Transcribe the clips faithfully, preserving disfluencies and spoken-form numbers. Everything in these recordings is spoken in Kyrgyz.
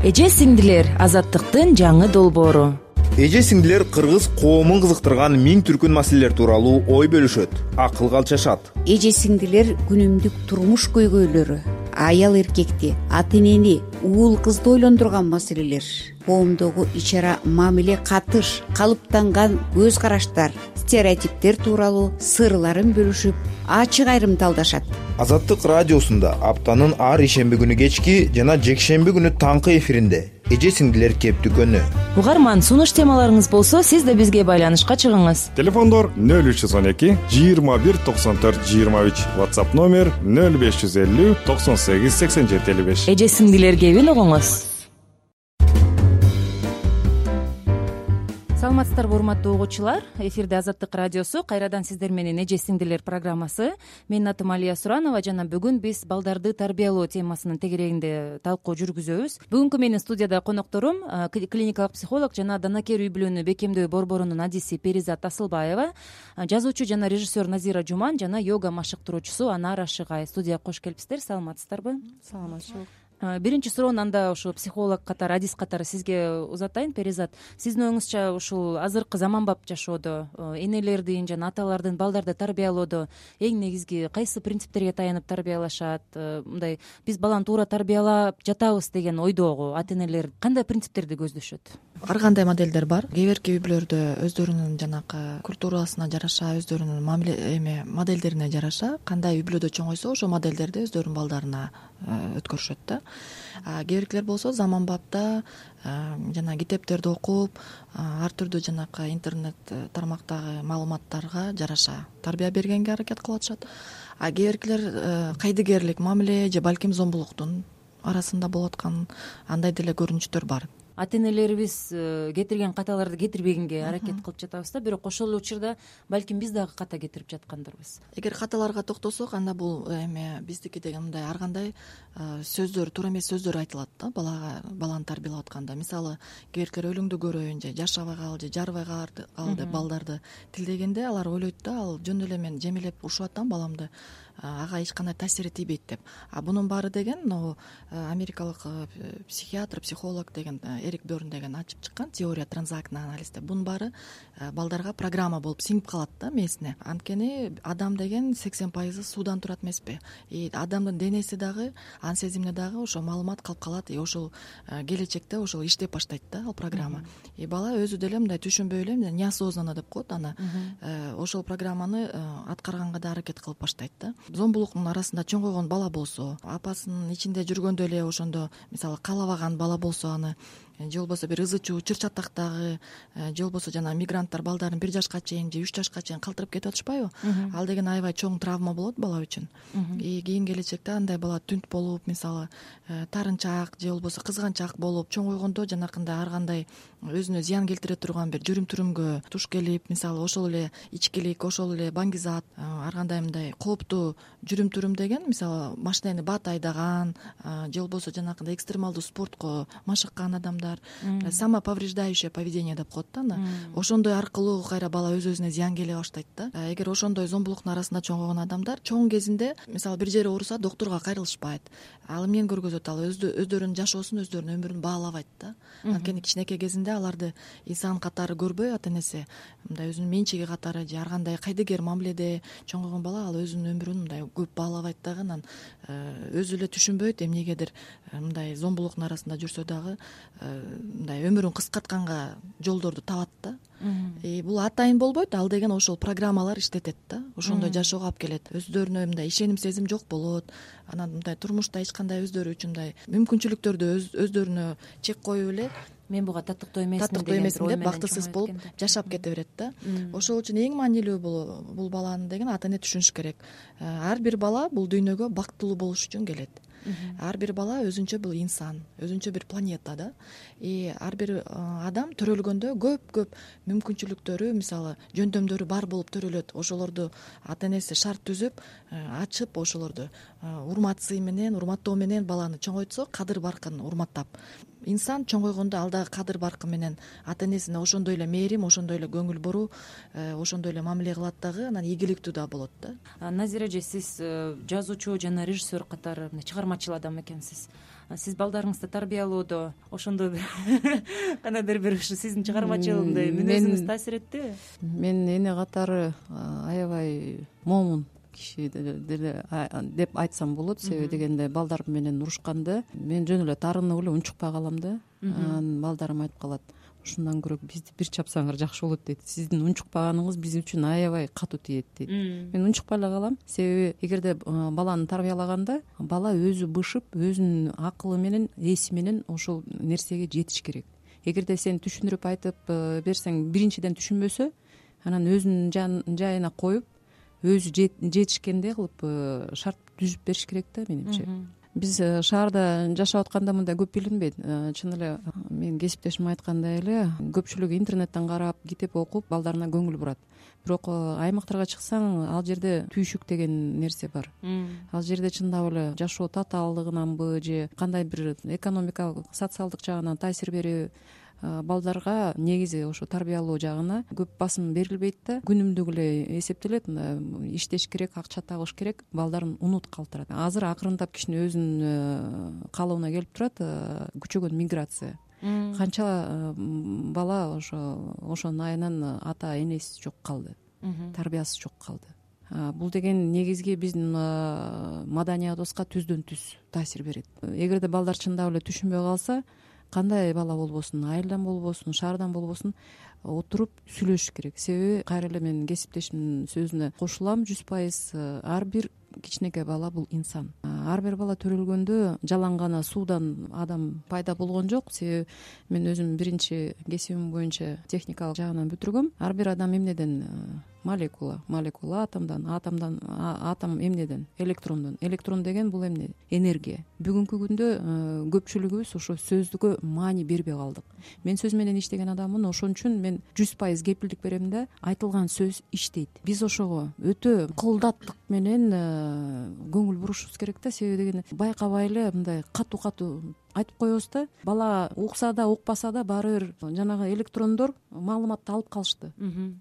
Эже сиңдилер — азаттыктын жаңы долбоору. Эже сиңдилер кыргыз коомун кызыктырган миң түркүн маселелер тууралуу ой бөлүшөт, акылга алчашат. Эже сиңдилер күнүмдүк турмуш көйгөйлөрү, аял эркекти, ата энени, уул кызды ойлондурган маселелер, коомдогу ич ара мамиле, катыш, калыптанган көз караштар, стереотиптер тууралуу сырларын бөлүшүп, ачык айрым талдашат. Азаттык радиосунда аптанын ар ишемби күнү кечки жана жекшемби күнү таңкы эфиринде эже сиңдилер кептүкөнү. Угарман, сунуш темаларыңыз болсо, сиз да бизге байланышка чыгыңыз. Телефондор нөл үч жүз он эки жыйырма бир токсон төрт жыйырма үч, WhatsApp номер нөл беш жүз элүү токсон сегиз сексен жети элүү беш. Эже сиңдилер кебин угуңуз. Саламатсыздарбы, урматтуу угуучулар. Эфирде Азаттык радиосу, кайрадан сиздер менен эже сиңдилер программасы. Менин атым Алия Суранова жана бүгүн биз балдарды тарбиялоо темасынын тегерегинде талкуу жүргүзөбүз. Бүгүнкү менин студияда конокторум клиникалык психолог жана данакер үй-бүлөнү бекемдөө борборунун адиси Перизат Асылбаева, жазуучу жана режиссер Назира Жуман жана йога машыктыруучусу Анара Шыгай. Студияга кош келипсиздер. Саламатсыздарбы? Саламатчылык. Биринчи суроону анда ушул психолог катары, адис катары сизге узатайын. Перизат, сиздин оюңузча ушул азыркы заманбап жашоодо энелердин жана аталардын балдарды тарбиялоодо эң негизги кайсы принциптерге таянып тарбиялашат? Мындай, биз баланы туура тарбиялап жатабыз деген ойдогу ата энелер кандай принциптерди көздөшөт? Ар кандай моделдер бар. Кээ бирки үй-бүлөлөрдө өздөрүнүн жанакы культурасына жараша, өздөрүнүн мамиле эме моделдерине жараша кандай үй-бүлөдө чоңойсо, ошол модельдерди өздөрүнүн балдарына өткөрүшөт да. Кээ биркилер болсо заманбапта жана китептерди окуп, ар түрдүү жанакы интернет тармактагы маалыматтарга жараша тарбия бергенге аракет кылып атышат. А кээ биркилер кайдыгерлик мамиле же балким зомбулуктун арасында болуп аткан андай деле көрүнүштөр бар. Ата энелерибиз кетирген каталарды кетирбегенге аракет кылып жатабыз да, бирок ошол эле учурда балким биз дагы ката кетирип жаткандырбыз. Эгер каталарга токтосок, анда бул эме биздики деген мындай ар кандай сөздөр, туура эмес сөздөр айтылат да балага, баланы тарбиялап атканда. Мисалы, кээ биркилер өлүңдү көрөйүн же жашабай кал же жарбай кал деп балдарды тилдегенде алар ойлойт да, ал жөн эле мен жемелеп урушуп атам баламды, ага эч кандай таасири тийбейт деп. А бунун баары деген могу америкалык психиатр, психолог деген Эрик Берн деген ачып чыккан теория транзактный анализ деп. Бунун баары балдарга программа болуп сиңип калат да мээсине. Анткени адам деген сексен пайызы суудан турат эмеспи? И адамдын денеси дагы, ан сезимине дагы ошол маалымат калып калат. И ошол келечекте ошол иштеп баштайт да ал программа. И бала өзү деле мындай түшүнбөй эле неосознанно деп коет, аны ошол программаны аткарганга да аракет кылып баштайт да. Зомбулуктун арасында чоңойгон бала болсо, апасынын ичинде жүргөндө эле ошондо мисалы каалабаган бала болсо, аны же болбосо бир ызы чуу чыр чатактагы, же болбосо жана мигранттар балдарын бир жашка чейин же үч жашка чейин калтырып кетип атышпайбы? Ал деген аябай чоң травма болот бала үчүн. И кийин келечекте андай бала түнт болуп, мисалы тарынчаак же болбосо кызганчаак болуп чоңойгондо жанакындай ар кандай өзүнө зыян келтире турган бир жүрүм-турумгө туш келип, мисалы ошол эле ичкилик, ошол эле баңгизат, ар кандай мындай кооптуу жүрүм-турум деген, мисалы машинени бат айдаган же болбосо жанакындай экстремалдуу спортко машыккан адамдар, самоповреждающее поведение деп коет да. Ошондой аркылуу кайра бала өз-өзүнө зыян келе баштайт да. Эгер ошондой зомбулуктун арасында чоңойгон адамдар чоң кезинде мисалы бир жери ооруса доктурга кайрылышпайт. Ал эмнени көргөзөт? Ал өздөрүнүн жашоосун, өздөрүнүн өмүрүн баалабайт да. Анткени кичинекей кезинде аларды инсан катары көрбөй, ата энеси мындай өзүнүн менчиги катары же ар кандай кайдыгер мамиледе чоңойгон бала ал өзүнүн өмүрүн мындай көп баалабайт дагы, анан өзү эле түшүнбөйт эмнегедир мындай зомбулуктун арасында жүрсө дагы мындай өмүрүн кыскартканга жолдорду табат да. И бул атайын болбойт, ал деген ошол программалар иштетет да, ошондой жашоого алып келет. Өздөрүнө мындай ишеним сезим жок болот, анан мындай турмушта эч кандай өздөрү үчүн мындай мүмкүнчүлүктөрдү өздөрүнө чек коюп эле мен буга таттыктуу эмесмин таттыктуу эмесмин деп бактысыз болуп жашап кете берет да. Ошол үчүн эң маанилүү бул бул баланы деген ата эне түшүнүш керек. Ар бир бала бул дүйнөгө бактылуу болуш үчүн келет. Ар бир бала өзүнчө бул инсан, өзүнчө бир планета да. И ар бир адам төрөлгөндө көп-көп мүмкүнчүлүктөрү, мисалы жөндөмдөрү бар болуп төрөлөт. Ошолорду ата энеси шарт түзүп, ачып, ошолорду урмат сый менен, урматтоо менен баланы чоңойтсо, кадыр баркын урматтап, инсан чоңойгондо ал дагы кадыр баркы менен ата энесине ошондой эле мээрим, ошондой эле көңүл буруу, ошондой эле мамиле кылат дагы, анан ийгиликтүү да болот да. Назира эже, сиз жазуучу жана режиссер катары чыгармачыл адам экенсиз. Сиз балдарыңызды тарбиялоодо ошондой бир кандайдыр бир ушу сиздин чыгармачылындай мүнөзүңүз таасир эттиби? Мен эне катары аябай момун киши деле деп айтсам болот. Себеби дегенде балдар менен урушканда мен жөн эле тарынып эле унчукпай калам да. Анан балдарым айтып калат, ушундан көрө бизди бир чапсаңар жакшы болот дейт. Сиздин унчукпаганыңыз биз үчүн аябай катуу тиет дейт. Мен унчукпай эле калам. Себеби эгерде баланы тарбиялаганда бала өзү бышып, өзүнүн акылы менен, эси менен ошол нерсеге жетиш керек. Эгерде сен түшүндүрүп айтып берсең, биринчиден түшүнбөсө, анан өзүнүн жайына коюп, өзү жетишкендей кылып шарт түзүп бериш керек да, менимче. Биз шаарда жашап атканда мындай көп билинбейт. Чын эле мен кесиптешим айткандай эле көпчүлүгү интернеттен карап, китеп окуп, балдарына көңүл бурат. Бирок аймактарга чыксаң, ал жерде түйшүк деген нерсе бар. Ал жерде чындап эле жашоо татаалдыгынанбы же кандай бир экономикалык, социалдык жагынан таасир берүү балдарга негизи ошо тарбиялоо жагына көп басым берилбейт да. Күнүмдүк эле эсептелет, иштеш керек, акча табыш керек, балдарын унут калтырат. Азыр акырындап кичине өзүнүн калыбына келип турат күчөгөн миграция. Канча бала ошо ошонун айынан ата энеси жок калды, тарбиясы жок калды. Бул деген негизги биздин маданиятыбызга түздөн түз таасир берет. Эгерде балдар чындап эле түшүнбөй калса, кандай бала болбосун, айылдан болбосун, шаардан болбосун, отуруп сүйлөшүш керек. Себеби кайра эле мен кесиптешимдин сөзүнө кошулам, жүз пайыз ар бир кичинекей бала бул инсан. Ар бир бала төрөлгөндө жалаң гана суудан адам пайда болгон жок. Себеби мен өзүм биринчи кесибим боюнча техникалык жагынан бүтүргөм. Ар бир адам эмнеден? Молекула, молекула атомдон, атомдон атом эмнеден? Электрондон. Электрон деген бул эмне? Энергия. Бүгүнкү күндө көпчүлүгүбүз ошо сөздүгө маани бербей калдык. Мен сөз менен иштеген адаммын, ошон үчүн мен жүз пайыз кепилдик берем да, айтылган сөз иштейт. Биз ошого өтө кылдаттык менен көңүл бурушубуз керек да. Себеби деген байкабай эле мындай катуу-катуу айтып коебуз да. Бала укса да, укпаса да баары бир жанагы электрондор маалыматты алып калышты.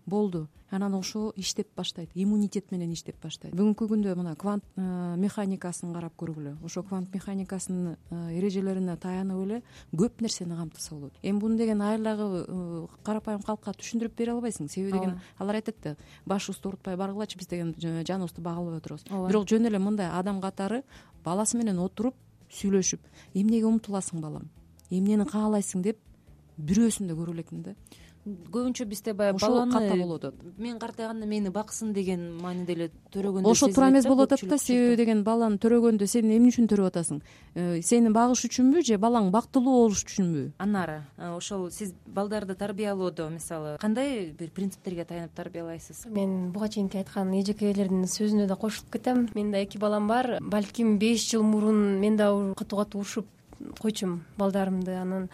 Болду. Анан ошо иштеп баштайт, иммунитет менен иштеп баштайт. Бүгүнкү күндө мына квант механикасын карап көргүлө. Ошо квант механикасынын эрежелерине таянып эле көп нерсени камтыса болот. Эми буну деген айылдагы карапайым калкка түшүндүрүп бере албайсың. Себеби деген алар айтат да, башыбызды оорутпай баргылачы, биз деген жаныбызды багылбай отурабыз. Бирок жөн эле мындай адам катары баласы менен отуруп сүйлөшүп, эмнеге умтуласың балам, эмнени каалайсың деп бирөөсүн да көрө элекмин да. Көбүнчө бизде баягы баланы мен картайганда мени баксын деген мааниде эле төрөгөндө ошо туура эмес болуп атат да. Себеби деген баланы төрөгөндө сен эмне үчүн төрөп атасың? Сени багыш үчүнбү же балаң бактылуу болуш үчүнбү? Анары ошол сиз балдарды тарбиялоодо мисалы кандай бир принциптерге таянып тарбиялайсыз? Мен буга чейинки айткан эжекейлердин сөзүнө да кошулуп кетем. Менин да эки балам бар. Балким беш жыл мурун мен да катуу-катуу урушуп койчумун балдарымды. Анан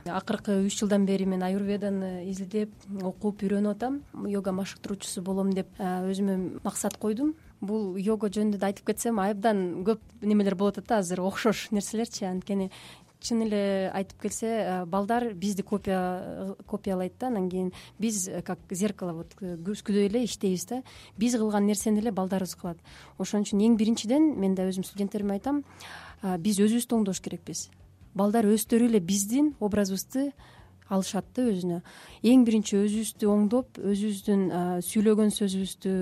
акыркы үч жылдан бери мен аюрведаны изилдеп, окуп, үйрөнүп атам. Йога машыктыруучусу болом деп өзүмө максат койдум. Бул йога жөнүндө да айтып кетсем, абдан көп немелер болуп атат да азыр, окшош нерселерчи. Анткени чын эле айтып келсе, балдар бизди копия копиялайт да. Анан кийин биз как зеркало, вот күзгүдөй эле иштейбиз да. Биз кылган нерсени эле балдарыбыз кылат. Ошон үчүн эң биринчиден мен да өзүм студенттериме айтам, биз өзүбүздү оңдош керекпиз. Балдар өздөрү эле биздин образыбызды алышат да өзүнө. Эң биринчи өзүбүздү оңдоп, өзүбүздүн сүйлөгөн сөзүбүздү,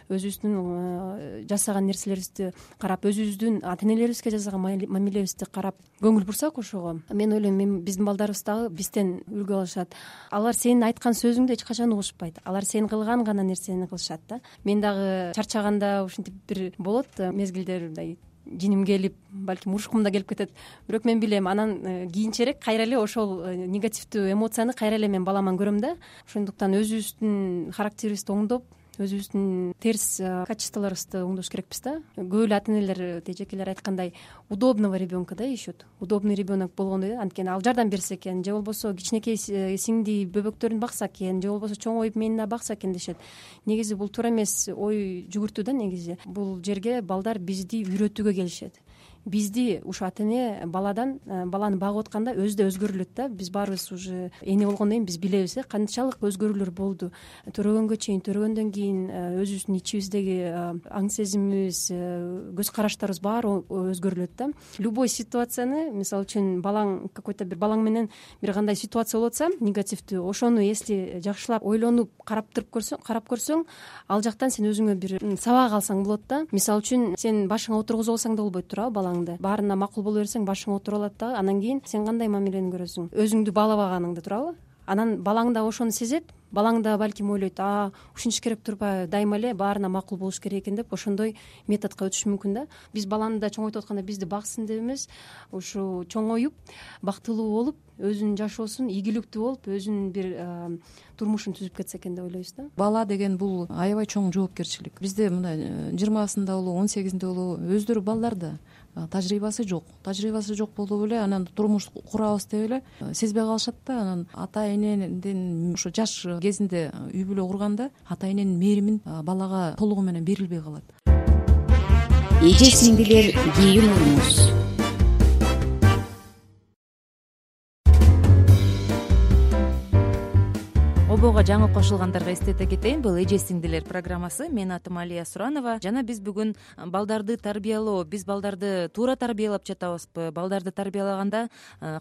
өзүбүздүн жасаган нерселерибизди карап, өзүбүздүн ата энелерибизге жасаган мамилебизди карап көңүл бурсак ошого, мен ойлойм, биздин балдарыбыз дагы бизден үлгү алышат. Алар сенин айткан сөзүңдү эч качан угушпайт. Алар сен кылган гана нерсени кылышат да. Мен дагы чарчаганда ушинтип бир болот мезгилдер, мындай жиним келип, балким урушкум да келип кетет. Бирок мен билем, анан кийинчерээк кайра эле ошол негативдүү эмоцияны кайра эле мен баламан көрөм да. Ошондуктан өзүбүздүн характерибизди оңдоп, өзүбүздүн терс качестволорубузду оңдош керекпиз да. Көп эле ата энелер, эжекелер айткандай, удобного ребенка да ишет. Удобный ребенок болгондой, анткени ал жардам берсе экен, же болбосо кичинекей сиңди бөбөктөрүн бакса экен, же болбосо чоңоюп мени бакса экен дешет. Негизи бул туура эмес ой жүгүртүү да. Негизи бул жерге балдар бизди үйрөтүүгө келишет. бизди ушу ата эне баладан баланы багып атканда өзү да өзгөрүлөт да. Биз баарыбыз уже эне болгондон кийин биз билебиз э канчалык өзгөрүүлөр болду. Төрөгөнгө чейин, төрөгөндөн кийин өзүбүздүн ичибиздеги аң сезимибиз, көз караштарыбыз баары өзгөрүлөт да. Любой ситуацияны, мисалы үчүн балаң какой-то бир балаң менен бир кандай ситуация болуп атса, негативдүү, ошону если жакшылап ойлонуп карап туруп көрсөң, карап көрсөң, ал жактан сен өзүңө бир сабак алсаң болот да. Мисалы үчүн сен башыңа отургузуп алсаң да болбойт туурабы балаңды. Баарына макул боло берсең башыңа отуруп алат да. Анан кийин сен кандай мамилени көрөсүң? Өзүңдү баалабаганыңды, туурабы? Анан балаң да ошону сезет. Балаң да балким ойлойт, а ушинтиш керек турбайбы, дайыма эле баарына макул болуш керек экен деп ошондой методко өтүш мүмкүн да. Биз баланы да чоңойтуп атканда бизди баксын деп эмес, ушу чоңоюп, бактылуу болуп, өзүнүн жашоосун ийгиликтүү болуп, өзүнүн бир турмушун түзүп кетсе экен деп ойлойбуз да. Бала деген бул аябай чоң жоопкерчилик. Бизде мына жыйырмасында болобу, он сегизинде болобу өздөрү балдар да тажрыйбасы жок. Тажрыйбасы жок болуп эле анан турмуш курабыз деп эле сезбей калышат да. Анан ата энеден ошо жаш кезинде үй бүлө курганда ата эненин мээримин балага толугу менен берилбей калат. Эже сиңдилер, кийин уруңуз. Обого жаңы кошулгандарга эстете кетейин, бул Эже сиңдилер программасы. Менин атым Алия Суранова. Жана биз бүгүн балдарды тарбиялоо, биз балдарды туура тарбиялап жатабызбы, балдарды тарбиялаганда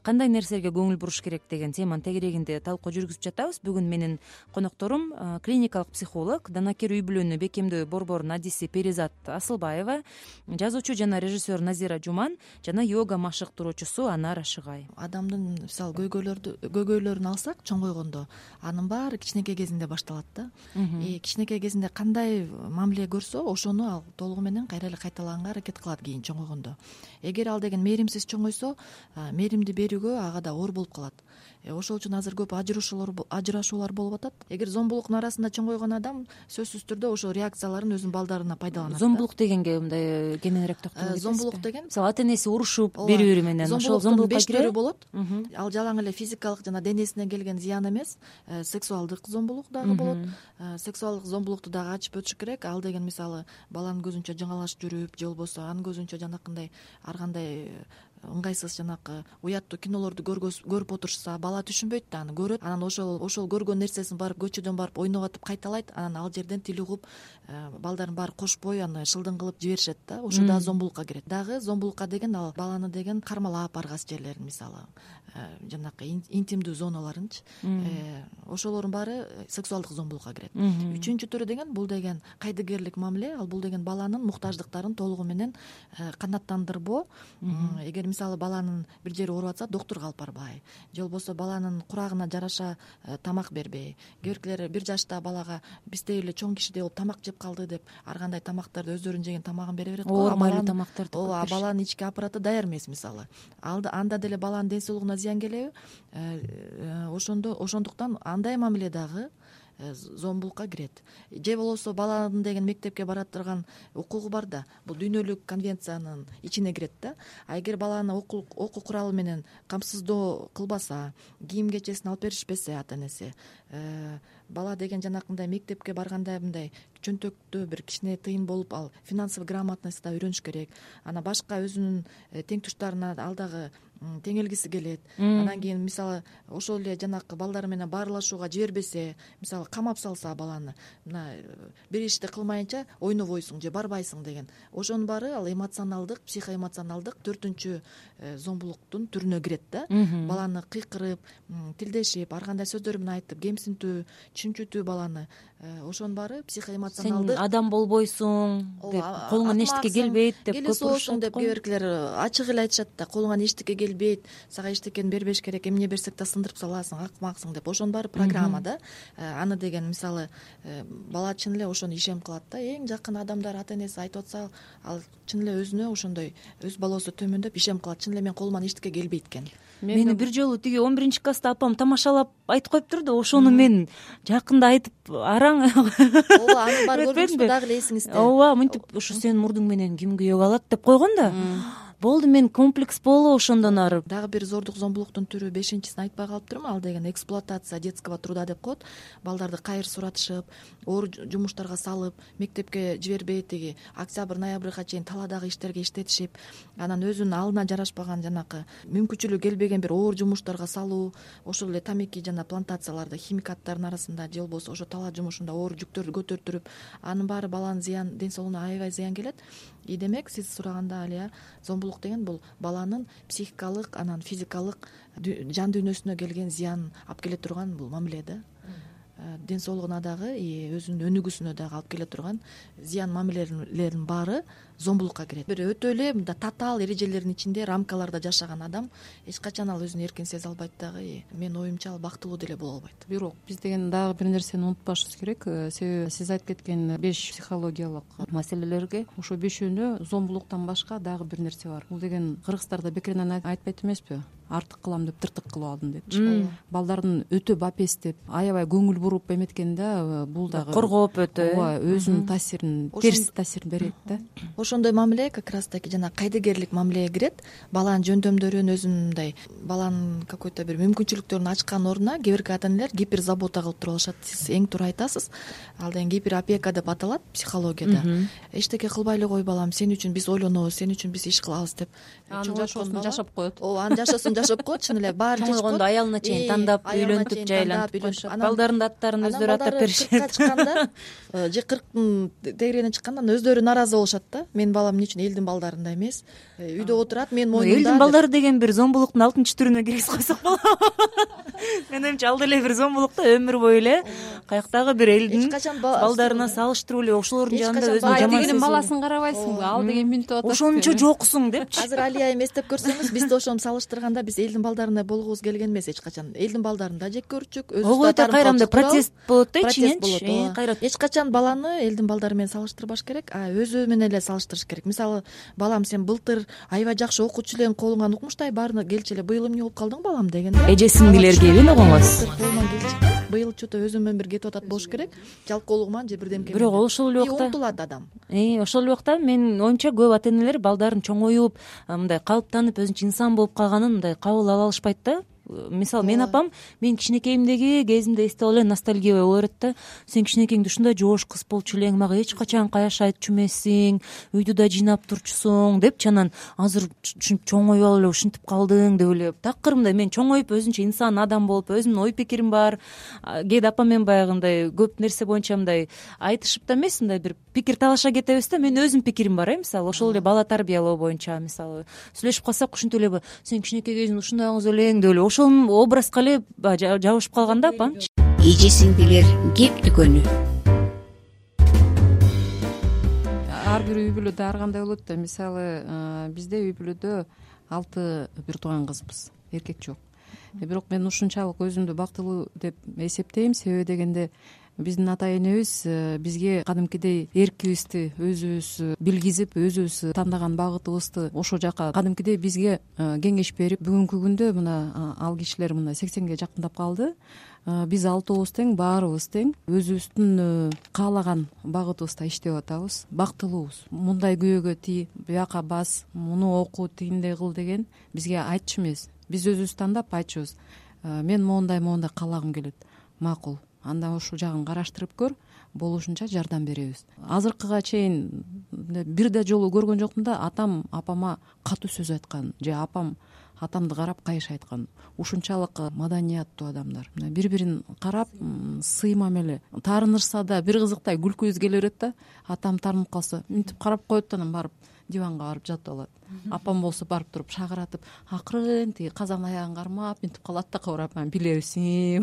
кандай нерселерге көңүл буруш керек деген теманын тегерегинде талкуу жүргүзүп жатабыз. Бүгүн менин конокторум клиникалык психолог, данакер үй бүлөнү бекемдөө борборунун адиси Перизат Асылбаева, жазуучу жана режиссер Назира Жуман жана йога машыктыруучусу Анар Ашыгай. Адамдын мисалы көйгөйлөрдү көйгөйлөрүн алсак, чоңойгондо анын баары кичинекей кезинде башталат да. И кичинекей кезинде кандай мамиле көрсө, ошону ал толугу менен кайра эле кайталаганга аракет кылат кийин чоңойгондо. Эгер ал деген мээримсиз чоңойсо, мээримди берүүгө ага да оор болуп калат. Ошол үчүн азыр көп ажырашуулар ажырашуулар болуп атат. Эгер зомбулуктун арасында чоңойгон адам сөзсүз түрдө ошол реакцияларын өзүнүн балдарына пайдаланат. Зомбулук дегенге мындай кененирээк токтоло кетесизби? Зомбулук деген мисалы ата энеси урушуп бири-бири менен ошол зомбулукка беш түрү кирет болот. Ал жалаң эле физикалык жана денесине келген зыян эмес, сексуалдык зомбулук дагы болот. Сексуалдык зомбулукту дагы ачып өтүш керек. Ал деген мисалы баланын көзүнчө жаңалашып жүрүп, же болбосо анын көзүнчө жанакындай ар кандай ыңгайсыз жанакы уяттуу кинолорду көрүп отурушса, бала түшүнбөйт да, аны көрөт. Анан ошол ошол көргөн нерсесин барып көчөдөн барып ойноп атып кайталайт. Анан ал жерден тил угуп, балдардын баары кошпой аны шылдың кылып жиберишет да. Ошо да зомбулукка кирет. Дагы зомбулукка деген ал баланы деген кармалап баргас жерлерин, мисалы жанакы интимдүү зоналарынчы, ошолордун баары сексуалдык зомбулукка кирет. Үчүнчү түрү деген бул деген кайдыгерлик мамиле. Ал бул деген баланын муктаждыктарын толугу менен канааттандырбоо. Эгер мисалы баланын бир жери ооруп атса, доктурга алып барбай, же болбосо баланын курагына жараша тамак бербей. Кээ биркилер бир жашта балага биздей эле чоң кишидей болуп тамак жеп калды деп ар кандай тамактарды өздөрүнүн жеген тамагын бере берет го. Оор майлуу тамактарды. Ооба, баланын ички аппараты даяр эмес мисалы. Анда деле баланын ден соолугуна зыян келеби? Ошондо ошондуктан андай мамиле дагы зомбулукка кирет. Же болбосо баланын деген мектепке бара турган укугу бар да, бул дүйнөлүк конвенциянын ичине кирет да. А эгер баланы окуу окуу куралы менен камсыздоо кылбаса, кийим кечесин алып беришпесе ата энеси, бала деген жанакындай мектепке барганда мындай чөнтөктө бир кичине тыйын болуп, ал финансовый грамотность да үйрөнүш керек. Ана башка өзүнүн теңтуштарына ал дагы теңелгиси келет. Анан кийин мисалы ошол эле жанакы балдар менен баарлашууга жибербесе, мисалы камап салса баланы, мына бир ишти кылмайынча ойнобойсуң же барбайсың деген. Ошонун баары ал эмоционалдык, психоэмоционалдык төртүнчү зомбулуктун түрүнө кирет да. Баланы кыйкырып, тилдешип, ар кандай сөздөр менен айтып, кемсинтүү, чүнчүтүү баланы. Ошонун баары психоэмоционалдык. Сен адам болбойсуң деп, колуңан эчтеке келбейт деп көп урушат деп кээ биркилер ачык эле айтышат да, колуңан эчтеке келбейт, сага эчтекени бербеш керек, эмне берсек да сындырып саласың, акмаксың деп. Ошонун баары программа да. Аны деген мисалы бала чын эле ошону ишем кылат да. Эң жакын адамдар ата энеси айтып атса, ал чын эле өзүнө ошондой өз балосу төмөндөп ишем кылат. Чын эле мен колуман эчтеке келбейт экен. Мени бир жолу тиги он биринчи класста апам тамашалап айтып коюптур да, ошону мен жакында айтып араң. Ооба, анын баары көрдүңүзбү, дагы эле эсиңизде. Ооба, мынтип ушу сенин мурдуң менен ким күйөөгө алат деп койгон да. болду мен комплекс боло ошондон ары. Дагы бир зордук зомбулуктун түрү бешинчисин айтпай калыптырмын, ал деген эксплуатация детского труда деп коет. Балдарды кайыр суратышып, оор жумуштарга салып, мектепке жибербей тиги октябрь ноябрга чейин талаадагы иштерге иштетишип, анан өзүнүн алына жарашпаган жанакы мүмкүнчүлүгү келбеген бир оор жумуштарга салуу, ошол эле тамеки жана плантацияларда химикаттардын арасында же болбосо ошо талаа жумушунда оор жүктөрдү көтөртүрүп, анын баары баланын зыян, ден соолугуна аябай зыян келет. И демек сиз сураганда Алия, зомбулук деген бул баланын психикалык, анан физикалык жан дүйнөсүнө келген зыян алып келе турган бул мамиле да. Ден соолугуна дагы, өзүнүн өнүгүүсүнө дагы алып келе турган зыян мамилелердин баары зомбулукка кирет. Бир өтө эле мындай татаал эрежелердин ичинде, рамкаларда жашаган адам эч качан ал өзүн эркин сезе албайт дагы. Менин оюмча ал бактылуу деле боло албайт. Бирок биз деген дагы бир нерсени унутпашыбыз керек. Себеби сиз айтып кеткен беш психологиялык маселелерге ошо бешөөнө зомбулуктан башка дагы бир нерсе бар. Бул деген кыргыздарда бекеринен айтпайт эмеспи? Артык кылам деп тыртык кылып алдым депчи. Балдардын өтө бапестеп, аябай көңүл буруп эметкенде бул дагы коргоп өтө ооба өзүнүн таасирин, терс таасирин берет да. Ошондой мамиле как раз таки жана кайдыгерлик мамилеге кирет. Баланын жөндөмдөрүн, өзүнүн мындай баланын какой-то бир мүмкүнчүлүктөрүн ачкан ордуна кээ бирки ата энелер гиперзабота кылып туруп алышат. Сиз эң туура айтасыз. Ал деген гиперопека деп аталат психологияда. Эчтеке кылбай эле кой балам, сен үчүн биз ойлонобуз, сен үчүн биз иш кылабыз деп. Анын жашоосун жашап коет. Ооба, анын жашоосун жашап коет, чын эле баарын жашап коет. Чоңойгондо аялына чейин тандап, үйлөнтүп, жайлантып, балдардын аттарын өздөрү аттап беришет. кыркка чыкканда же кырктын тегерегине чыкканда өздөрү нааразы болушат да. Менин балам эмне үчүн элдин балдарындай эмес, үйдө отурат, менин моюнумда. Элдин балдары деген бир зомбулуктун алтынчы түрүнө киргизип койсок болобу? Менин оюмча ал деле бир зомбулук да, өмүр бою эле каяктагы бир элдин балдарына салыштырып эле ошолордун жанында өзүн жаман сезүү. Баласын карабайсыңбы? Ал деген мүнөт атат. Ошончо жоксуң депчи. Азыр Алия эстеп көрсөңүз, биз да ошону салыштырганда биз элдин балдарындай болгубуз келген эмес эч качан. Элдин балдарын да жек көрчүк, өзүбүз да кайрамда протест болот да ичинен. Кайра эч качан баланы элдин балдары менен салыштырбаш керек, а өзү менен эле салыштырыш керек. Мисалы, балам сен былтыр аябай жакшы окуучу элең, колуңан укмуштай баарына келчи эле, быйыл эмне болуп калдың балам дегенде. Эже сиңдилерге эбин огоңуз. Быйыл чото өзү менен бир кетип атат болуш керек. Жалкоолугуман же бирдемке. Бирок ошол эле убакта умтулат адам. Э, ошол эле убакта менин оюмча көп ата энелер балдарын чоңоюп, мындай калыптанып, өзүнчө инсан болуп калганын мындай кабыл ала алышпайт да. Мисалы, менин апам мен кичинекейимдеги кезимде эстеп эле ностальгия боло берет да. Сен кичинекейиңде ушундай жоош кыз болчу элең, мага эч качан каяш айтчу эмессиң, үйдү да жыйнап турчусуң депчи. Анан азыр ушинтип чоңоюп алып эле ушинтип калдың деп эле. Такыр мындай мен чоңоюп өзүнчө инсан адам болуп, өзүмдүн ой пикирим бар. Кээде апам менен баягындай көп нерсе боюнча мындай айтышып да эмес, мындай бир пикир талаша кетебиз да. Мен өзүмдүн пикирим бар, э, мисалы, ошол эле бала тарбиялоо боюнча, мисалы, сүйлөшүп калсак ушинтип эле сен кичинекей кезиңде ушундай кыз элең деп эле ошол образга эле жабышып калган да апамчы. Эже сиңдилер кеп дүкөнү. Ар бир үй бүлөдө ар кандай болот да. Мисалы, бизде үй бүлөдө алты бир тууган кызбыз, эркек жок. Бирок мен ушунчалык өзүмдү бактылуу деп эсептейм. Себеби дегенде биздин ата энебиз бизге кадимкидей эркибизди өзүбүз билгизип, өзүбүз тандаган багытыбызды ошол жака кадимкидей бизге кеңеш берип, бүгүнкү күндө мына ал кишилер мына сексенге жакындап калды. Биз алтообуз тең, баарыбыз тең, өзүбүздүн каалаган багытыбызда иштеп атабыз, бактылуубуз. Мындай күйөөгө тий, бияка бас, муну оку, тигиндей кыл деген бизге айтчу эмес. Биз өзүбүз тандап айтчубуз. Мен моундай моундай каалагым келет. Макул. Анда ушул жагын караштырып көр, болушунча жардам беребиз. Азыркыга чейин бир да жолу көргөн жокмун да атам апама катуу сөз айткан же апам атамды карап кайыш айткан. Ушунчалык маданияттуу адамдар. Бири-бирин карап, сый мамиле. Таарынышса да бир кызыктай күлкүбүз келе берет да. Атам таарынып калса, мынтип карап коет да, анан барып диванга барып жатып алат. Апам болсо барып туруп шагыратып, акырын тиги казан аягын кармап мынтип калат да, кабырап, билебиз,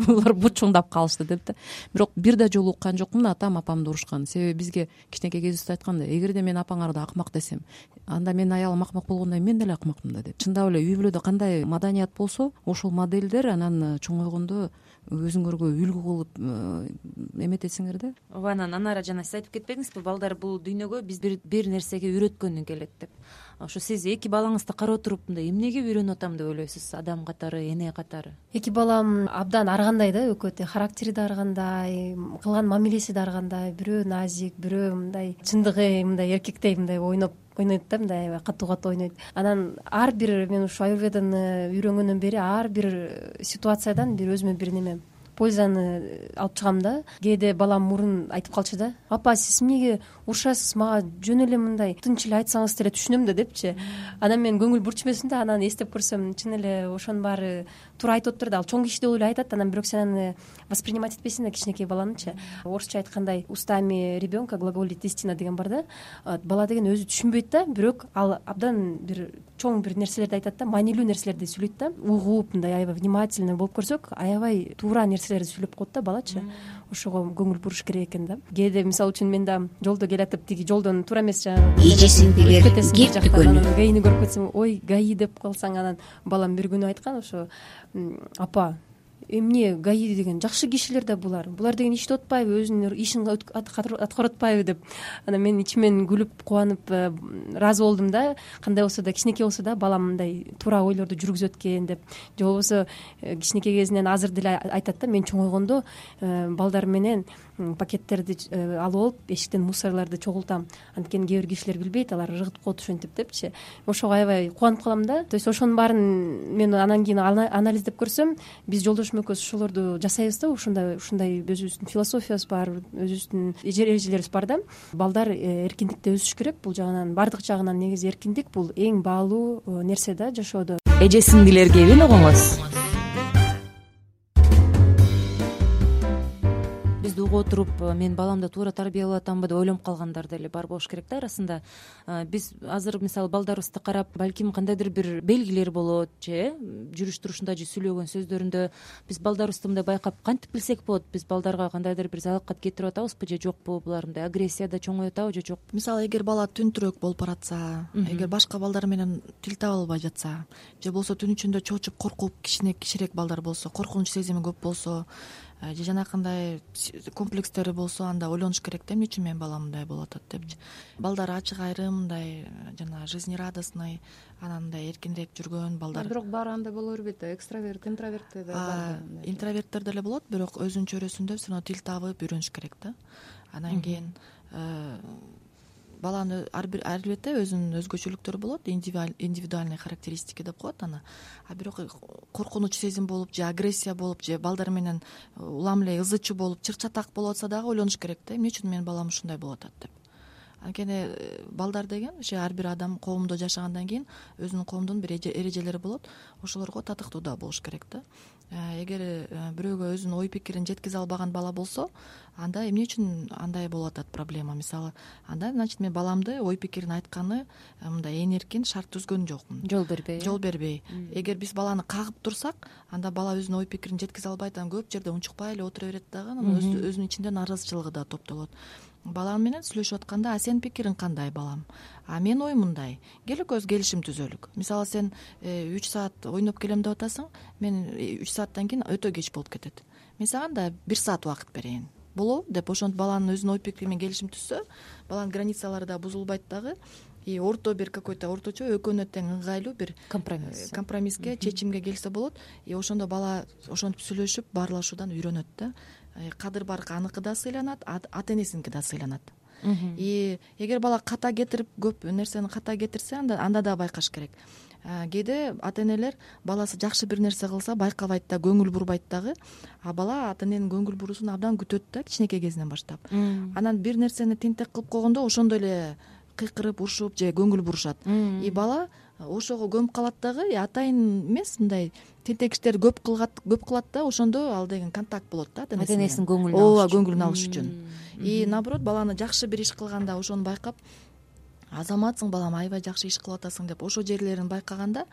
булар бучуңдап калышты деп да. Бирок бир да жолу уккан жокмун атам апамды урушкан. Себеби бизге кичинекей кезибизде айтканда, эгерде мен апаңарды акмак десем, анда менин аялым акмак болгондой мен деле акмакмын да деп. Чындап эле үй бүлөдө кандай маданият болсо, ошол модельдер анан чоңойгондо өзүңөргө үлгү кылып эметесиңер да. Ооба, анан анара жана сиз айтып кетпедиңизби, балдар бул дүйнөгө биз бир бир нерсеге үйрөткөнү келет деп. Ошо сиз эки балаңызды карап туруп мындай эмнеге үйрөнүп атам деп ойлойсуз, адам катары, эне катары? Эки балам абдан ар кандай да, өкөт. Характери да ар кандай, кылган мамилеси да ар кандай. Бирөө назик, бирөө мындай чындыгы мындай эркектей мындай ойноп ойнойт да, мындай аябай катуу катуу ойнойт. Анан ар бир мен ушу аюрведаны үйрөнгөндөн бери ар бир ситуациядан бир өзүмө бир неме пользаны алып чыгам да. Кээде балам мурун айтып калчу да: апа, сиз эмнеге урушасыз, мага жөн эле мындай тынч эле айтсаңыз деле түшүнөм да депчи. Анан мен көңүл бурчумесин да, анан эстеп көрсөм чын эле ошонун баары туура айтып атыптыр да. Ал чоң киши деп эле айтат, анан бирок сен аны воспринимать этпейсиң да, кичинекей баланычы. Орусча айткандай устами ребенка глаголит истина деген бар да. Бала деген өзү түшүнбөйт да, бирок ал абдан бир чоң бир нерселерди айтат да, маанилүү нерселерди сүйлөйт да. Угуп, мындай аябай внимательный болуп көрсөк, аябай туура нерселерди сүйлөп коет да балачы. Ошого көңүл буруш керек экен да. Кээде мисалы үчүн мен да жолдо келатып, тиги жолдон туура эмес жанагы эжесиңдилер кептикөнү гаини көрүп кетсең, ой, гаи деп калсаң, анан балам бир күнү айткан ошо: апа, эмне гаи деген жакшы кишилер да булар. Булар деген иштеп атпайбы, өзүнүн ишин аткарып атпайбы деп. Анан мен ичимен күлүп, кубанып ыраазы болдум да. Кандай болсо да, кичинекей болсо да балам мындай туура ойлорду жүргүзөт экен деп. Же болбосо кичинекей кезинен азыр деле айтат да: мен чоңойгондо балдар менен пакеттерди алып алып эшиктен мусорлорду чогултам. Анткени кээ бир кишилер билбейт, алар ыргытып коет ошентип депчи. Ошого аябай кубанып калам да. То есть ошонун баарын мен анан кийин анализдеп көрсөм, биз жолдошум экөөбүз ошолорду жасайбыз да. Ушундай ушундай өзүбүздүн философиябыз бар, өзүбүздүн эрежелерибиз бар да. Балдар эркиндикте өсүш керек. Бул жагынан, баардык жагынан негизи эркиндик бул эң баалуу нерсе да жашоодо. Эже сиңдилер кебин угуңуз. Бизди угуп отуруп, мен баламды туура тарбиялап атамбы деп ойлонуп калгандар деле бар болуш керек да арасында. Биз азыр мисалы балдарыбызды карап, балким кандайдыр бир белгилер болот, же жүрүш турушунда, же сүйлөгөн сөздөрүндө биз балдарыбызды мындай байкап кантип билсек болот? Биз балдарга кандайдыр бир залалкат кетирип атабызбы же жокпу? Булар мындай агрессияда чоңоюп атабы же жок? Мисалы, эгер бала түнтүрөөк болуп баратса, эгер башка балдар менен тил таба албай жатса, же болбосо түн ичинде чоочуп коркуп, кичине кичирээк балдар болсо, коркунуч сезими көп болсо, же жанакындай комплекстери болсо, анда ойлонуш керек да, эмне үчүн менин балам мындай болуп атат депчи. Балдар ачык айрым, мындай жана жизнерадостный, анан мындай эркинирээк жүргөн балдар. Бирок баары андай боло бербейт да, экстраверт, интроверттер да бар. Интроверттер деле болот, бирок өзүнүн чөйрөсүндө все равно тил табып үйрөнүш керек да. Анан кийин баланын албетте өзүнүн өзгөчөлүктөрү болот, индивидуальный характеристики деп коет аны. А бирок коркунуч сезим болуп, же агрессия болуп, же балдар менен улам эле ызы чуу болуп, чыр-чатак болуп атса дагы ойлонуш керек да, эмне үчүн менин балам ушундай болуп атат деп. Анткени балдар деген ошо ар бир адам коомдо жашагандан кийин өзүнүн коомдун бир эрежелери болот, ошолорго татыктуу да болуш керек да. Эгер бирөөгө өзүнүн ой пикирин жеткизе албаган бала болсо, анда эмне үчүн андай болуп атат проблема? Мисалы, анда значит мен баламды ой пикирин айтканы мындай ээн эркин шарт түзгөн жокмун. Жол бербей. Жол бербей. Эгер биз баланы кагып турсак, анда бала өзүнүн ой пикирин жеткизе албайт, анан көп жерде унчукпай эле отура берет дагы, анан өзүнүн ичинде нааразычылыгы да топтолот. Балам менен сүйлөшүп атканда: а сенин пикириң кандай, балам? А менин оюм мындай. Кел экөөбүз келишим түзөлүк. Мисалы, сен үч саат ойноп келем деп атасың, мен үч сааттан кийин өтө кеч болуп кетет. Мен сага да бир саат убакыт берейин. Болобу деп ошентип баланын өзүнүн ой пикири менен келишим түзсө, баланын границалары да бузулбайт дагы. И орто бир какой-то орточо экөөнө тең ыңгайлуу бир компромисс компромисске, чечимге келсе болот. И ошондо бала ошентип сүйлөшүп, баарлашуудан үйрөнөт да. Кадыр баркы аныкы да сыйланат, ата энесиники да сыйланат. И эгер бала ката кетирип, көп нерсени ката кетирсе, анда анда да байкаш керек. Кээде ата энелер баласы жакшы бир нерсе кылса байкабайт да, көңүл бурбайт дагы, а бала ата эненин көңүл буруусун абдан күтөт да, кичинекей кезинен баштап. Анан бир нерсени тентек кылып койгондо ошондой эле кыйкырып, урушуп же көңүл бурушат. И бала ошого көмүп калат дагы, атайын эмес, мындай тентек иштерди көп кылат, көп кылат да, ошондо ал деген контакт болот да ата энесинин көңүлүн алыш. Ооба, көңүлүн алыш үчүн. И наоборот, баланы жакшы бир иш кылганда ошону байкап, азаматсың балам, аябай жакшы иш кылып атасың деп ошо жерлерин байкаганда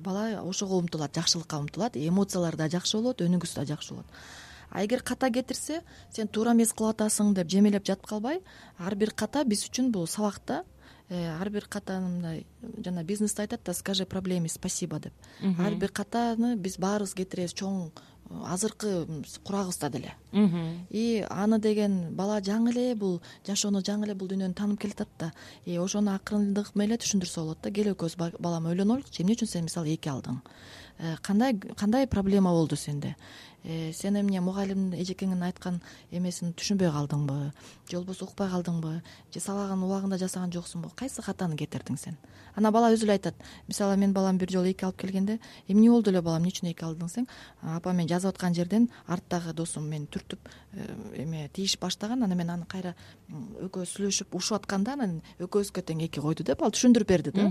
бала ошого умтулат, жакшылыкка умтулат, эмоциялары да жакшы болот, өнүгүүсү да жакшы болот. А эгер ката кетирсе, сен туура эмес кылып атасың деп жемелеп жатып калбай, ар бир ката биз үчүн бул сабак да. Ар бир катаны мындай жана бизнесте айтат да: скажи проблеме спасибо деп. Ар бир катаны биз баарыбыз кетиребиз, чоң азыркы курагыбызда деле. И аны деген бала жаңы эле бул жашоону, жаңы эле бул дүйнөнү таанып келатат да. И ошону акырындык менен түшүндүрсө болот да. Кел экөөбүз балам ойлонолучу, эмне үчүн сен мисалы эки алдың? Кандай кандай проблема болду сенде? сен эмне мугалим эжекеңин айткан эмесин түшүнбөй калдыңбы же болбосо укпай калдыңбы же сабагын убагында жасаган жоксуңбу, кайсы катаны кетирдиң сен? Анан бала өзү эле айтат. Мисалы мен балам бир жолу эки алып келгенде эмне болду эле балам, эмне үчүн эки алдың сен? Апа мен жазып аткан жерден арттагы досум мени түртүп эме тийишип баштаган, анан мен аны кайра экөөбүз сүйлөшүп ушуп атканда анан экөөбүзгө тең эки койду деп ал түшүндүрүп берди да.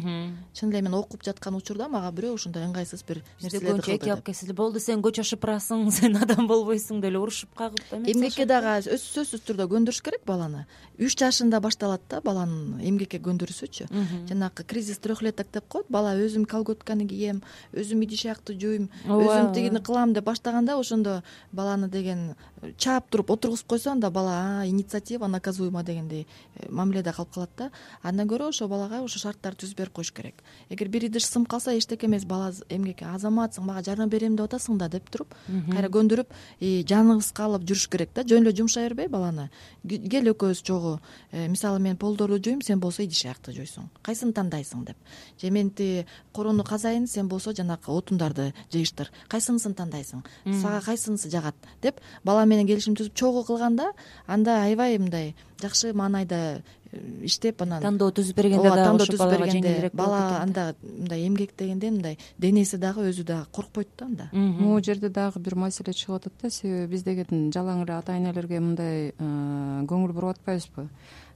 Чын эле мен окуп жаткан учурда мага бирөө ушундай ыңгайсыз бир нерселерди кылды. Эки алып келсе болду, сен көчө шыпырасың, сен адам болбойсуң деп эле урушуп кагып эмгекке дагы сөзсүз түрдө көндүрүш керек баланы. үч жашында башталат да баланын эмгекке көндүрүүсүчү. Жанагы кризис трехлеток деп коет. Бала өзүм колготканы кийем, өзүм идиш аякты жууйм, өзүм тигини кылам деп баштаганда ошондо баланы деген чаап туруп отургузуп койсо анда бала инициатива наказуема дегендей мамиледе калып калат да. Андан көрө ошо балага ошо шарттарды түзүп берип коюш керек. Эгер бир идиш сынып калса эчтеке эмес, бала эмгекке азаматсың, мага жардам берем деп атасың да деп туруп кайра көндүрүп жаныбыз калып жүрүш керек да. Жөн эле жумшай бербей баланы. Кел экөөбүз чогуу, мисалы мен полдорду жуйм, сен болсо идиш аякты жуйсуң. Кайсын тандайсың деп. Же мен ти короону казайын, сен болсо жанагы отундарды жыйыштыр. Кайсынысын тандайсың? Сага кайсынысы жагат деп бала менен келишим түзүп чогуу кылганда анда аябай мындай жакшы маанайда иштеп анан тандоо түзүп бергенде да ошо балага жеңилирээк болот. Бала анда мындай эмгек дегенде мындай денеси дагы өзү дагы коркпойт да анда. Могу жерде дагы бир маселе чыгып атат да. Себеби биз деген жалаң эле ата энелерге мындай көңүл буруп атпайбызбы?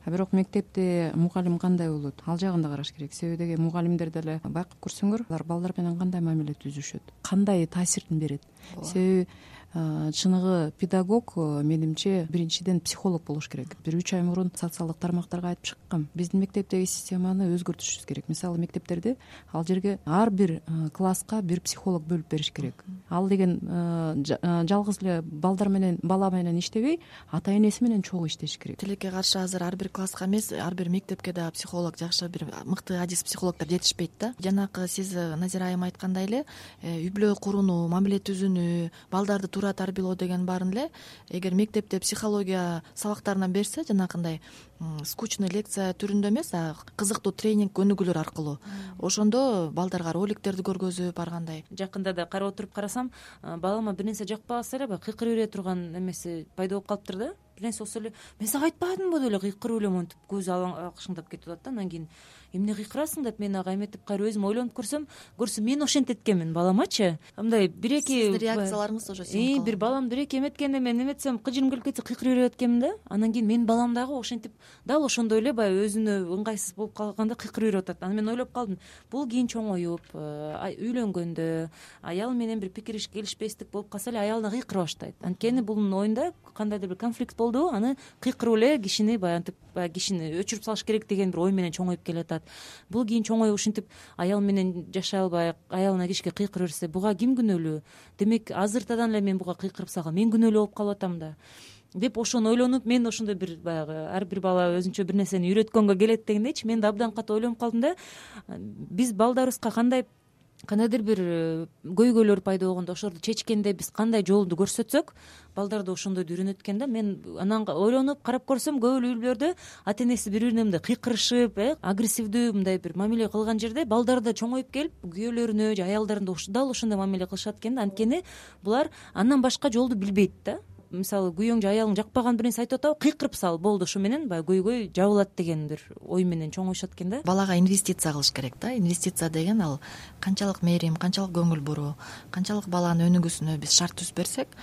А бирок мектепте мугалим кандай болот, ал жагын да караш керек. Себеби деген мугалимдер деле байкап көрсөңөр, алар балдар менен кандай мамиле түзүшөт, кандай таасирин берет. Себеби чыныгы педагог менимче биринчиден психолог болуш керек. Бир үч ай мурун социалдык тармактарга айтып чыккам. Биздин мектептеги системаны өзгөртүшүбүз керек. Мисалы мектептерде ал жерге ар бир класска бир психолог бөлүп бериш керек. Ал деген жалгыз эле балдар менен бала менен иштебей, ата энеси менен чогуу иштеш керек. Тилекке каршы азыр ар бир класска эмес, ар бир мектепке да психолог, жакшы бир мыкты адис психологдор жетишпейт да. Жанакы сиз Назира айым айткандай эле үй бүлө курууну, мамиле түзүүнү, балдарды туура тарбиялоо деген баарын эле эгер мектепте психология сабактарынан берсе, жанакындай скучный лекция түрүндө эмес, а кызыктуу тренинг өнүгүүлөр аркылуу, ошондо балдарга роликтерди көргөзүп баргандай. Жакында да карап отуруп карасам, балама бир нерсе жакпаса эле баягы кыйкырып бере турган эмеси пайда болуп калыптыр да. Бир нерсе болсо эле мен сага айтпадымбы деп эле кыйкырып эле монтип көзү акшыңдап кетип атат да. Анан кийин эмне кыйкырасың деп мен ага эметип кайра өзүм ойлонуп көрсөм, көрсөм мен ошентет экенмин баламачы. Мындай бир эки сиздин реакцияларыңыз ошо сиңип калган. Бир балам бир эки эметкенде мен эметсем кыжырым келип кетсе кыйкырып берип аткенмин да. Анан кийин менин балам дагы ошентип дал ошондой эле баягы өзүнө ыңгайсыз болуп калганда кыйкырып берип атат. Анан мен ойлоп калдым, бул кийин чоңоюп, үйлөнгөндө аял менен бир пикир келишпестик болуп калса эле аялына кыйкыра баштайт. Анткени бунун оюнда кандайдыр бир конфликт болду, аны кыйкырып эле кишини баягы баягы кишини өчүрүп салыш керек деген бир ой менен чоңоюп келатат. Бул кийин чоңоюп ушинтип аял менен жашай албай аялына кишке кыйкырып берсе, буга ким күнөөлүү? Демек азыртадан эле мен буга кыйкырып салгам, мен күнөөлүү болуп калып атам да деп ошону ойлонуп, мен ошондой бир баягы ар бир бала өзүнчө бир нерсени үйрөткөнгө келет дегендейчи, мен да абдан катуу ойлонуп калдым да. Биз балдарыбызга кандай кандайдыр бир көйгөйлөр пайда болгондо ошолорду чечкенде биз кандай жолду көрсөтсөк, балдар да ошондойду үйрөнөт экен да. Мен анан ойлонуп карап көрсөм, көп эле үй бүлөлөрдө ата энеси бири бирине мындай кыйкырышып, агрессивдүү мындай бир мамиле кылган жерде балдар да чоңоюп келип күйөөлөрүнө же аялдарына дал ошондой мамиле кылышат экен да. Анткени булар андан башка жолду билбейт да. Мисалы күйөөң же аялың жакпаган бир нерсе айтып атабы, кыйкырып сал, болду, ошо менен баягы көйгөй жабылат деген бир ой менен чоңоюшат экен да. Балага инвестиция кылыш керек да. Инвестиция деген ал канчалык мээрим, канчалык көңүл буруу, канчалык баланын өнүгүүсүнө биз шарт түзүп берсек,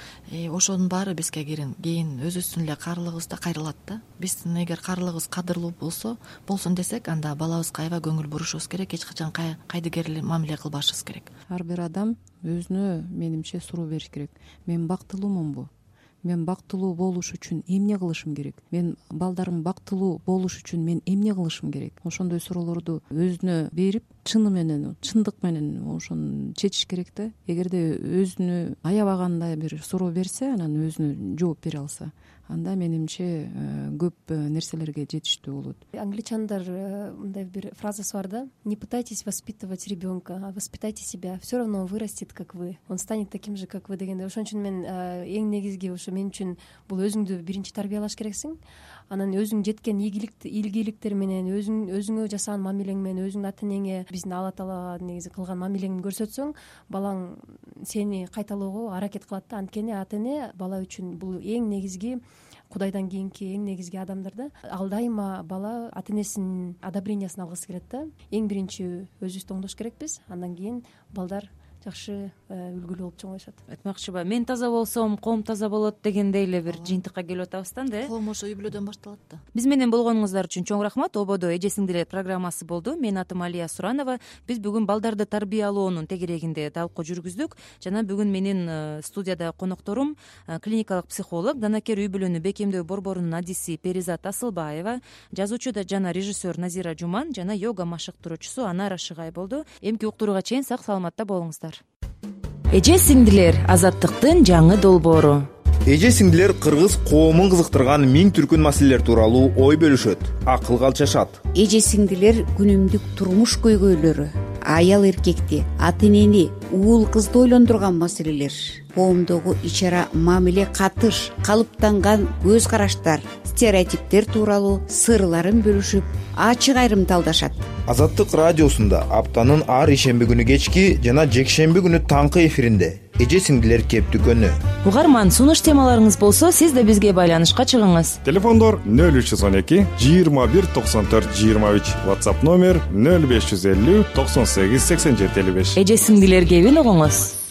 ошонун баары бизге кийин өзүбүздүн эле каарылыгыбызда кайрылат да. Биздин эгер каарылыгыбыз кадырлуу болсо, болсун десек, анда балабызга аябай көңүл бурушубуз керек, эч качан кайдыгер мамиле кылбашыбыз керек. Ар бир адам өзүнө менимче суроо бериш керек. Мен бактылуумунбу? Мен бактылуу болуш үчүн эмне кылышым керек? Мен балдарым бактылуу болуш үчүн мен эмне кылышым керек? Ошондой суроолорду өзүнө берип, чыны менен, чындык менен ошону чечиш керек да. Эгерде өзүнө аябагандай бир суроо берсе, анан өзүнө жооп бере алса, анда менимче көп нерселерге жетиштүү болот. Англичандар мындай бир фразасы бар да: не пытайтесь воспитывать ребенка, а воспитайте себя, все равно он вырастет как вы, он станет таким же как вы дегенде. Ошон үчүн мен эң негизги ошо мен үчүн бул өзүңдү биринчи тарбиялаш керексиң, анан өзүң жеткен ийгиликтер менен өзүң өзүңө жасаган мамилең менен өзүңдүн ата энеңе биздин Алла таала негизи кылган мамилеңди көрсөтсөң балаң сени кайталоого аракет кылат да. Анткени ата эне бала үчүн бул эң негизги, кудайдан кийинки эң негизги адамдар да. Ал дайыма бала ата энесинин одобрениясын алгысы келет да. Эң биринчи өзүбүздү оңдош керекпиз, андан кийин балдар жакшы үлгүлүү болуп чоңоюшат. Айтмакчыбы, мен таза болсом коом таза болот дегендей эле бир жыйынтыкка келип атабыз да э. Коом ошо үй бүлөдөн башталат да. Биз менен болгонуңуздар үчүн чоң рахмат. Ободо эже сиңдилер программасы болду. Менин атым Алия Суранова. Биз бүгүн балдарды тарбиялоонун тегерегинде талкуу жүргүздүк. Жана бүгүн менин студияда конокторум клиникалык психолог, данакер үй бүлөнү бекемдөө борборунун адиси Перизат Асылбаева, жазуучу жана режиссер Назира Жуман жана йога машыктыруучусу Анара Шыгай болду. Эмки уктурууга чейин сак саламатта болуңуздар. Эже сиңдилер — азаттыктын жаңы долбоору. Эже сиңдилер кыргыз коомун кызыктырган миң түркүн маселелер тууралуу ой бөлүшөт, акылга алчашат. Эже сиңдилер күнүмдүк турмуш көйгөйлөрү, аял эркекти, ата энени, уул кызды ойлондурган маселелер, коомдогу ич ара мамиле, катыш, калыптанган көз караштар, стереотиптер тууралуу сырларын бөлүшүп, ачык айрымталдашат. Азаттык радиосунда аптанын ар ишемби күнү кечки жана жекшемби күнү таңкы эфиринде эже сиңдилер кептүкөнү. Угарман, сунуш темаларыңыз болсо, сиз да бизге байланышка чыгыңыз. Телефондор нөл үч жүз он эки жыйырма бир токсон төрт жыйырма үч, WhatsApp номер нөл беш жүз элүү токсон сегиз сексен жети элүү беш. Эже сиңдилер кебин угуңуз.